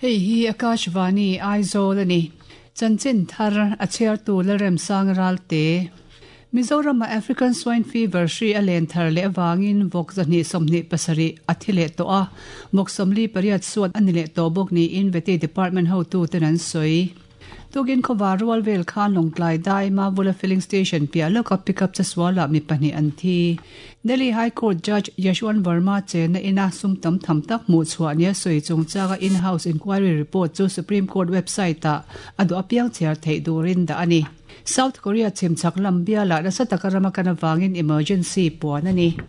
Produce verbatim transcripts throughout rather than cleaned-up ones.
Hei hi Akashvani Aizawl ani. Chanchin thar a chhiartu Lalremsang Ralte. Mizoram African Swine Fever hri a len thar leh awangin vawk zahnih sawmhnih pasarih a thi leh tawh a, vawk sawmli pariat suat a ni leh tawh bawk niin Vety Department hotuten an sawi. Tukin khawvar rual vel khan Lawngtlai dai Mavula Filling Station piah lawka pickup chasualah mi pahnih an thi. Delhi High Court Judge Yashwant Verma chenna ina sum tam tham tak hmuh chhuah nia sawi chungchanga in-house inquiry report chu Supreme Court website-ah a duh apiang chhiar theih turin dah a ni. South Korea chhimchhak lam bialah nasa taka rama kan avangin emergency puan a ni.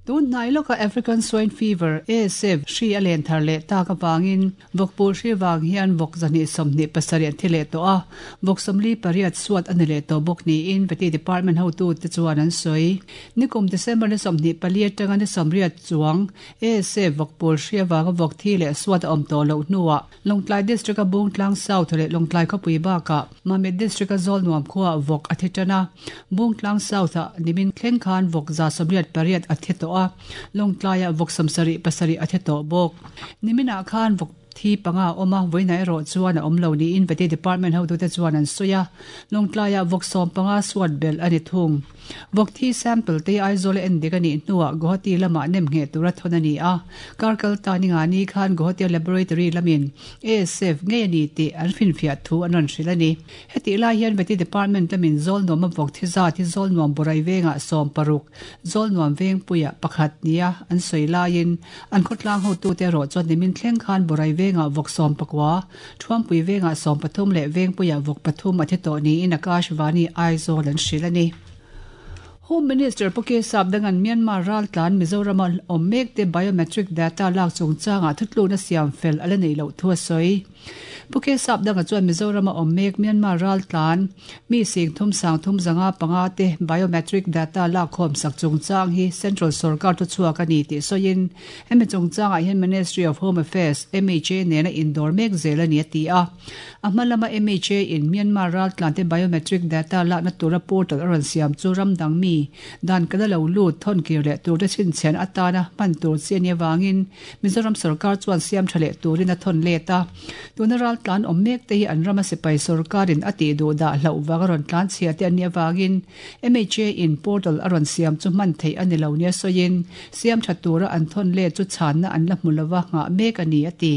Tun hnai lawka African Swine Fever, A S F, hri a len thar leh tak avangin vawkpur hri vang hian vawk zahnih sawmhnih pasarih an thi leh tawh a, vawk sawmli pariat suat a ni leh tawh bawk niin Vety Department hotute chuan an sawi. Nikum December ni sawmhnih pali atanga ni sawmriat chuang A S F vawkpur hri avanga vawk thi leh suat a awm tawh loh hnuah Lawngtlai District-a Bungtlang South leh Lawngtlai khawpui bakah Mamit District-a Zawlnuam khuaah vawk a thi tan a, Bungtlang South-ah nimin thleng khan vawk za sawmriat pariat a thi tawh a, Lawngtlaiah vawk sawmsarih pasarih a thi tawh bawk. Niminah khan vawk thi panga a awm a, vawiin erawh chuan a awm lo niin Vety Department hotute chuan an sawi a, Lawngtlaiah vawk sawm panga suat belh a ni thung. Vawk thi sample te Aizawl a en dik a nih hnuah Guwahati lamah nem ngheh tura thawn a ni a, kar kal ta ni nga ni khan Guwahati Laboratory lamin A S F ngei a ni tih an finfiah thu an rawn hrilh a ni. Hetih lai hian Vety Department lamin Zawlnuam a vawk thi zat hi Zawlnuam Borai vengah sawm paruk, Zawlnuam vengpuiah pakhat nia an sawi laiin an khawtlang hotute erawh chuan nimin thleng khan Borai vengah vawk sawm pakua, Thuampui vengah sawm pathum leh vengpuiah vawk pathum a thi tawh niin Akashvani Aizawl an hrilh a ni. Home Minister Pu K Sapdangan Myanmar raltlan Mizoram awm mekte biometric data lak chungchanga thutluna siam fel ala nei loh thu a sawi. Pu K Sapdanga chuan Mizoram awm mek Myanmar raltlan mi sing thum sang thum zanga panga te biometric data lak khawm sak chungchang hi Central Sarkar thu chhuak a ni tih sawiin hemi chungchangah hian Ministry of Home Affairs M H A nena indawr mek zel a ni a ti a. A hma lama M H A in Myanmar raltlan te biometric data lakna tura portal a rawn siam chu ramdang mi dan kana lo lut thon kir leh tur te chhinchhian atana hman tur chi ani awangin Mizoram sarkar chuan siam tha leh turin a thawn let a. Tuna raltlan awm mek te hi an rama sipai sarkarin a tih duh dah hlauh wang a rawn tlan chhia te ani awangin M H A in portal a rawn siam chu hman theih ani lo nia sawiin siam tha tura an thawn let chu chhanna an la hmu lova ngah mek ani a ti.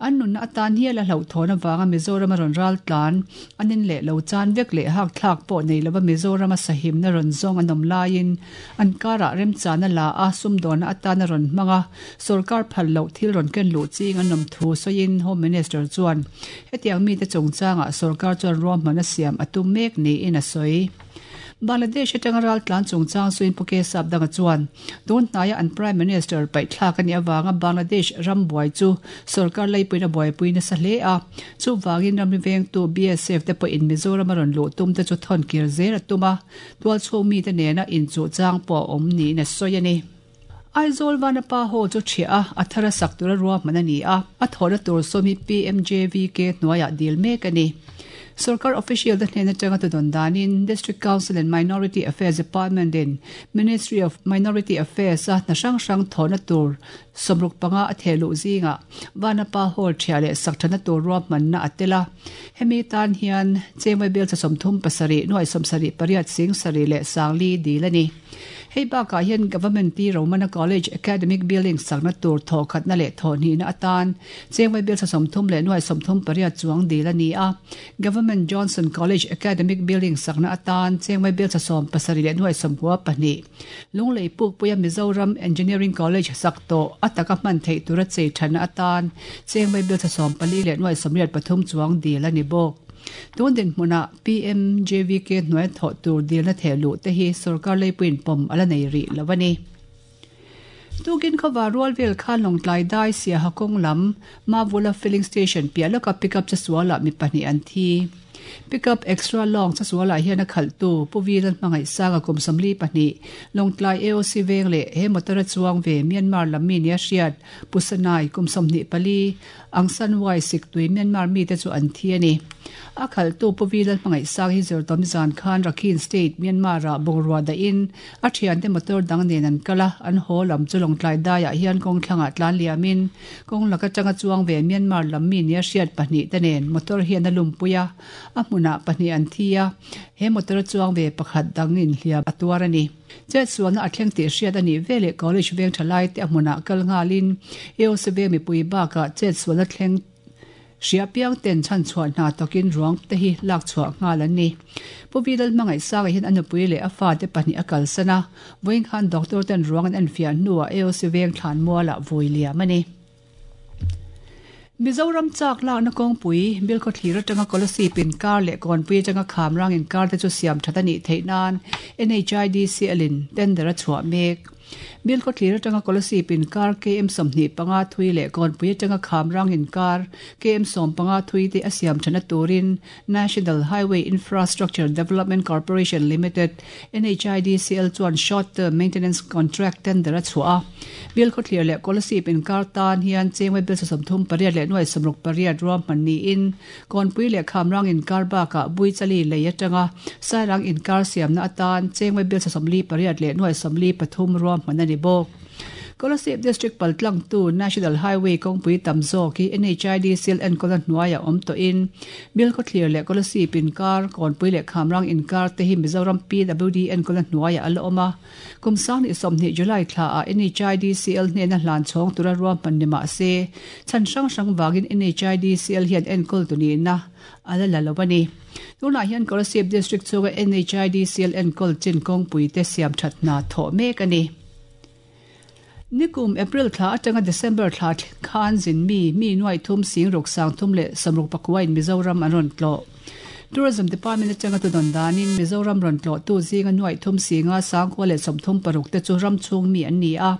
An nunna atan hial a hlauh thawn awanga Mizoram a rawn raltlan anin leh lo chan vek leh hak thlak pawh nei lova Mizoram a sahimna rawn zawng an awm laiin an karah remchana la a sumdawna atana rawn hmanga sarkar phal loh thil rawn ken luh ching an awm thu sawiin Home Minister chuan hetiang mite chungchangah sarkar chuan ruahman a siam a tum mek niin a sawi. Bangladesh atanga raltlan chungchang suin Pu K Sapdanga chuan tun hnaia an Prime Minister paih thlak ani awanga Bangladesh ram buai chu sarkar leipuina buaipui nasa hle a, chuwangin ramri vengtu B S F te pawhin Mizoram a rawn luh tum te chu thawn kir zel a tum a, tual chhung mi te nena inchuh chang pawh a awm niin a sawi a ni. Aizawl Vanapa Hall chu thiah a, a thara sak tura ruahman a ni a, a thawhna tur sawmi P M J V K hnuaiah dil mek a ni. Sarkar official te hnena tanga tu don danin District Council and Minority Affairs Department in Ministry of Minority Affairs a hna hrang hrang thawhna tur sawmruk panga a thehluh zinga Vanapa Hall thiah leh sak thana tur ruahmanna a tel a. Hemi tan hian chengmai bel cha sawmthum pasarih nuai sawmsarih pariat sing sarih leh sangli dil a ni. Hei bakah hian Government T Romana College Academic Building sakna tur thaw khatna leh thaw hnihna atan chengmai bel cha sawmthum leh nuai sawmthum pariat chuang dil a ni a. Government Johnson College Academic Building sakna atan chengmai bel cha sawm pasarih leh nuai sawmkua pahnih. Lunglei Pukpuia Mizoram Engineering College sak tawh ataka hman theih tura chei thana atan chengmai bel cha sawm pali leh nuai sawmriat pathum chuang dil a ni bawk. Tun din hmuna P M J V K hnuai thawh tur dilna thehluh te hi sarkar leipuin pawm ala nei rih lo a ni. Tukin khawvar rual vel khan Lawngtlai dai Siaha kawng lam Mavula Filling Station piah lawka pickup chasualah mi pahnih an thi. Pickup extra long chesualah hian a khalhtu Pu V Lalhmangaihsanga kum sawmli pahnih Lawngtlai A O C veng leh he motor a chuang ve Myanmar lam mi nia hriat Pu Sanai kum sawmhnih pali Aung San Wai Siktui Myanmar mite chu an thi a ni. A khalhtu Pu V Lalhmangaihsanga hi zirtawm zan khan Rakhine State Myanmar-ah bungrua dahin a thiante motor dang nen an kal a, an haw lam chu Lawngtlai daiah hian kawng thlangah tlan liamin kawng laka tanga chuang ve Myanmar lam mi nia hriat pahnih te nen motor hian a lumpui a, a hmunah pahnih an thi a, he motor a chuang ve pakhat dangin hliam a tuar a ni. Chetsualna a thleng tih hriat a nih veleh college veng tha lai te a hmunah kal nghalin A O C veng mipui bakah chetsualna thleng hria piang ten chhan chhuah hna tawkin ruang te hi lak chhuah nghal an ni. Pu V Lalhmangaihsanga hian a nupui leh a fate pahnih a kalsan a, vawiin khan doctor ten ruang an enfiah hnuah A O C veng thlan mualah vui liam a ni. Mizoram chak lakna kawngpui Bilkhawthlir atanga Kolasib inkar leh Kawnpui atanga Khamrang inkar te chu siam that a nih theih nan N H I D C L in tender a chhuah mek. Bilkhawthlir atanga Kolasib inkar K M sawmhnih panga thui leh Kawnpui atanga Khamrang inkar K M sawm panga thui te a siam thana turin National Highway Infrastructure Development Corporation Limited N H I D C L chuan short term maintenance contract tender a chhuah a. Bilkhawthlir leh Kolasib inkar tan hian chengwe bil sawmthum pariat leh nuai sawmruk pariat ruahman niin Kawnpui leh Khamrang inkar bakah Buichali lei atanga Sairang inkar siamna atan chengwe bil sawmli pariat leh nuai sawmli pathum ruahman a ni bawk. Kolasib District paltlang tu National Highway kawngpui tam zawk hi N H I D C L enkawl a hnuaiah awm tawhin Bilkhawthlir leh Kolasib inkar Kawnpui leh Khamrang inkar te hi Mizoram P W D enkawl a hnuaiah a la awm a. Kum sang ni sawmhnih July thlaah N H I D C L hnena hlan chhawng tura ruahman ni mah se chhan hrang hrang vangin N H I D C L hian enkawl tu nihna a la la lo a ni. Tunah hian Kolasib District chunga N H I D C L enkawl chin kawngpui te siam that hna thawh mek a ni. Nikum April thla atanga December thla khan zin mi mi nuai thum sing ruk sang thum leh samruk pakua in Mizoram an rawn tlawh. Tourism Department atanga tu don danin Mizoram rawn tlawh tu zinga nuai thum singa sangkhua leh sawmthum paruk te chu ram chhung mi an ni a,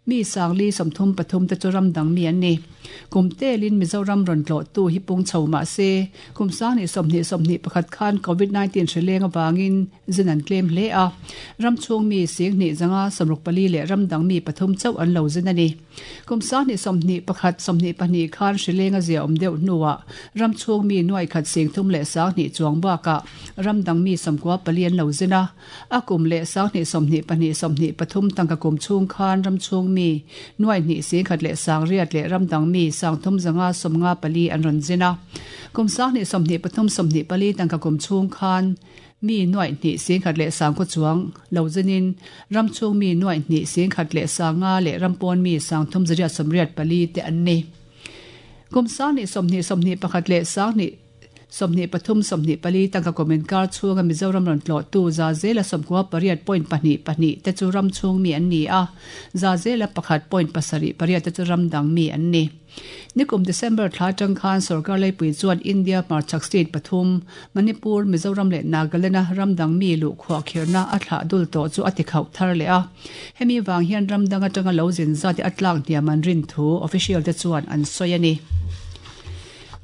mi sangli sawmthum pathum te chu ram dang mi an ni. Kum telin Mizoram rawn tlawh tu hi pung chho mah se kum sang ni sawmhnih sawmhnih pakhat khan covid nineteen hrileng awangin zin an tlem hle a, ram chhung mi singhnih zanga sawmruk pali leh ram dang mi pathum chauh an lo zin a ni. Kum sang ni sawmhnih pakhat sawmhnih pahnih khan hrileng a zia awm deuh hnuah ram chhung mi nuai khat sing thum leh sanghnih chuang bakah ram dang mi sawmkua pali an lo zin a, a kum leh sanghnih sawmhnih pahnih sawmhnih pathum tangka kum chhung khan ram chhung mi nuai hnih singkhat leh sangriat leh ram dang mi sangthum zanga sawmnga pali an rawn zin a. Kum sanghnih sawmhnih pathum sawmhnih pali tangka kum chhung khan mi nuai hnih singkhat leh sangkhaw chuang lo zinin ram chhung mi nuai hnih singkhat leh sanga leh rampawn mi sangthum zariat sawmriat pali te an ni. Kum sanghnih sawmhnih sawmhnih pakhat leh sanghnih sawmhnih pathum sawmhnih pali tangka kum inkar chhunga Mizoram rawn tlawh tu za zela sawmkua pariat point pahnih pahnih te chu ram chhung mi an ni a, za zela pakhat point pasarih pariat te chu ram dang mi an ni. Nikum December thla tang khan sarkar leipui chuan India hmarchhak state pathum Manipur, Mizoram leh Nagaland a ram dang mi luh khuah khirna a thlah dul tawh chu a ti khauh thar leh a. Hemi wang hian ram dang atanga lo zin zat te a tlak hniam an rin thu official te chuan an sawi a ni.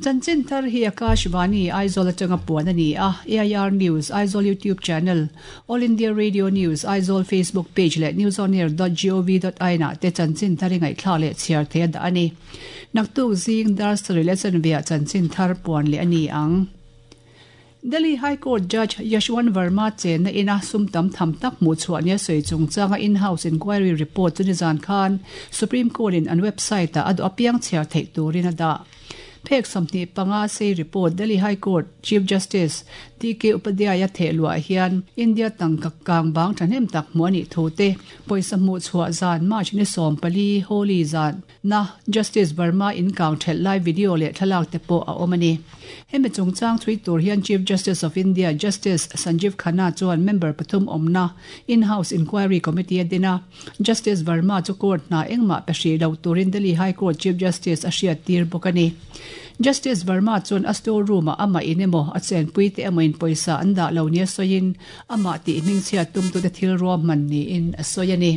Chanchin thar hi Akashvani Aizawl atanga puan a ni a, A I R News Aizawl YouTube channel, All India Radio News Aizawl Facebook page leh newsonair dot gov dot in ah te chanchin thar i ngaihthla leh chhiar thei a dah a ni. Naktuk zing dar sarih leh chanve ah chanchin thar puan leh a ni ang. Delhi High Court Judge Yashwant Verma chenna ina sumtam tham tak hmuh chhuah nia sawi chungchanga in-house inquiry report chu nizan khan Supreme Court in an website ah a duh apiang chhiar theih turin a dah. Phek sawmhnih panga sei report Delhi High Court Chief Justice D K Upadhyaya thehluah hian India tangka kang bang thahnem tak hmuh a nih thu te pawisa hmuh chhuah zan March ni sawm pali Holi zan na Justice Verma in kang thelh lai video leh thlalak te pawh a awm a ni. Hemi chungchang thui tur hian Chief Justice of India Justice Sanjeev Khanna chuan member pathum awmna in-house inquiry committee a dina. Justice Verma chu court hna engmah pe hri lo turin Delhi High Court Chief Justice a hriat tir bawk a ni. Justice Verma chuan a store room ah ama in emaw a chenpui te emaw in pawisa an dah lo nia sawiin amah tih hming chhiat tum tu te thil ruahman niin a sawi a ni.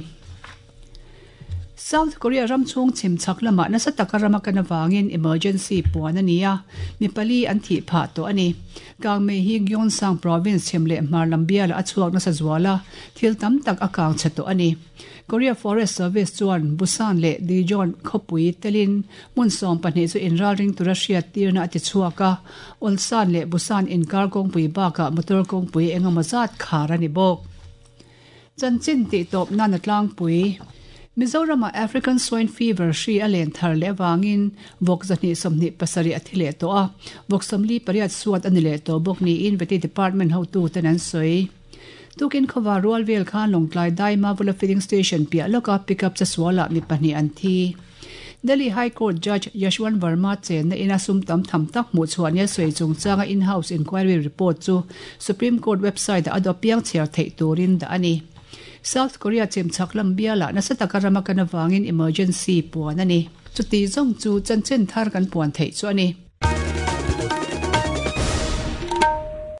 South Korea ram chung chim chak lama nasa taka rama kana wangin emergency puan ania mi pali an thi pha to ani kang me hi Gyeongsang province chemle marlambia la achuak na sa zwala thil tam tak akang chato ani Korea Forest Service chuan Busan le Dijon khopui telin mun som pahnih chu inral ring tura hriat tirna ati chhuaka Ulsan le Busan inkar kawngpui bakah motor kawngpui engemaw zat khar ani bawk chanchin tih tawp nan a tlangpui Mizorama African Swine Fever hri a len thar leh awangin vawk zahnih sawmhnih pasarih a thi leh tawh a vawk sawmli pariat suat a ni leh tawh bawk niin Vety Department hotu ten an sawi tukin khawva rual vel khan Lawngtlai Daima Vula Filling Station piah lawka pickup che sualah mi pahnih an thi Delhi High Court Judge Yashwant Verma chenna ina sum tam tham tak hmuh chhuah nia sawi chungchanga in-house inquiry report chu Supreme Court website a adopiang chhiar theih turin dah a ni South Korea chimchak lam biala nasa taka rama kan awangin emergency puan ani chuti zawng chu chanchin thar kan puan theih chu ani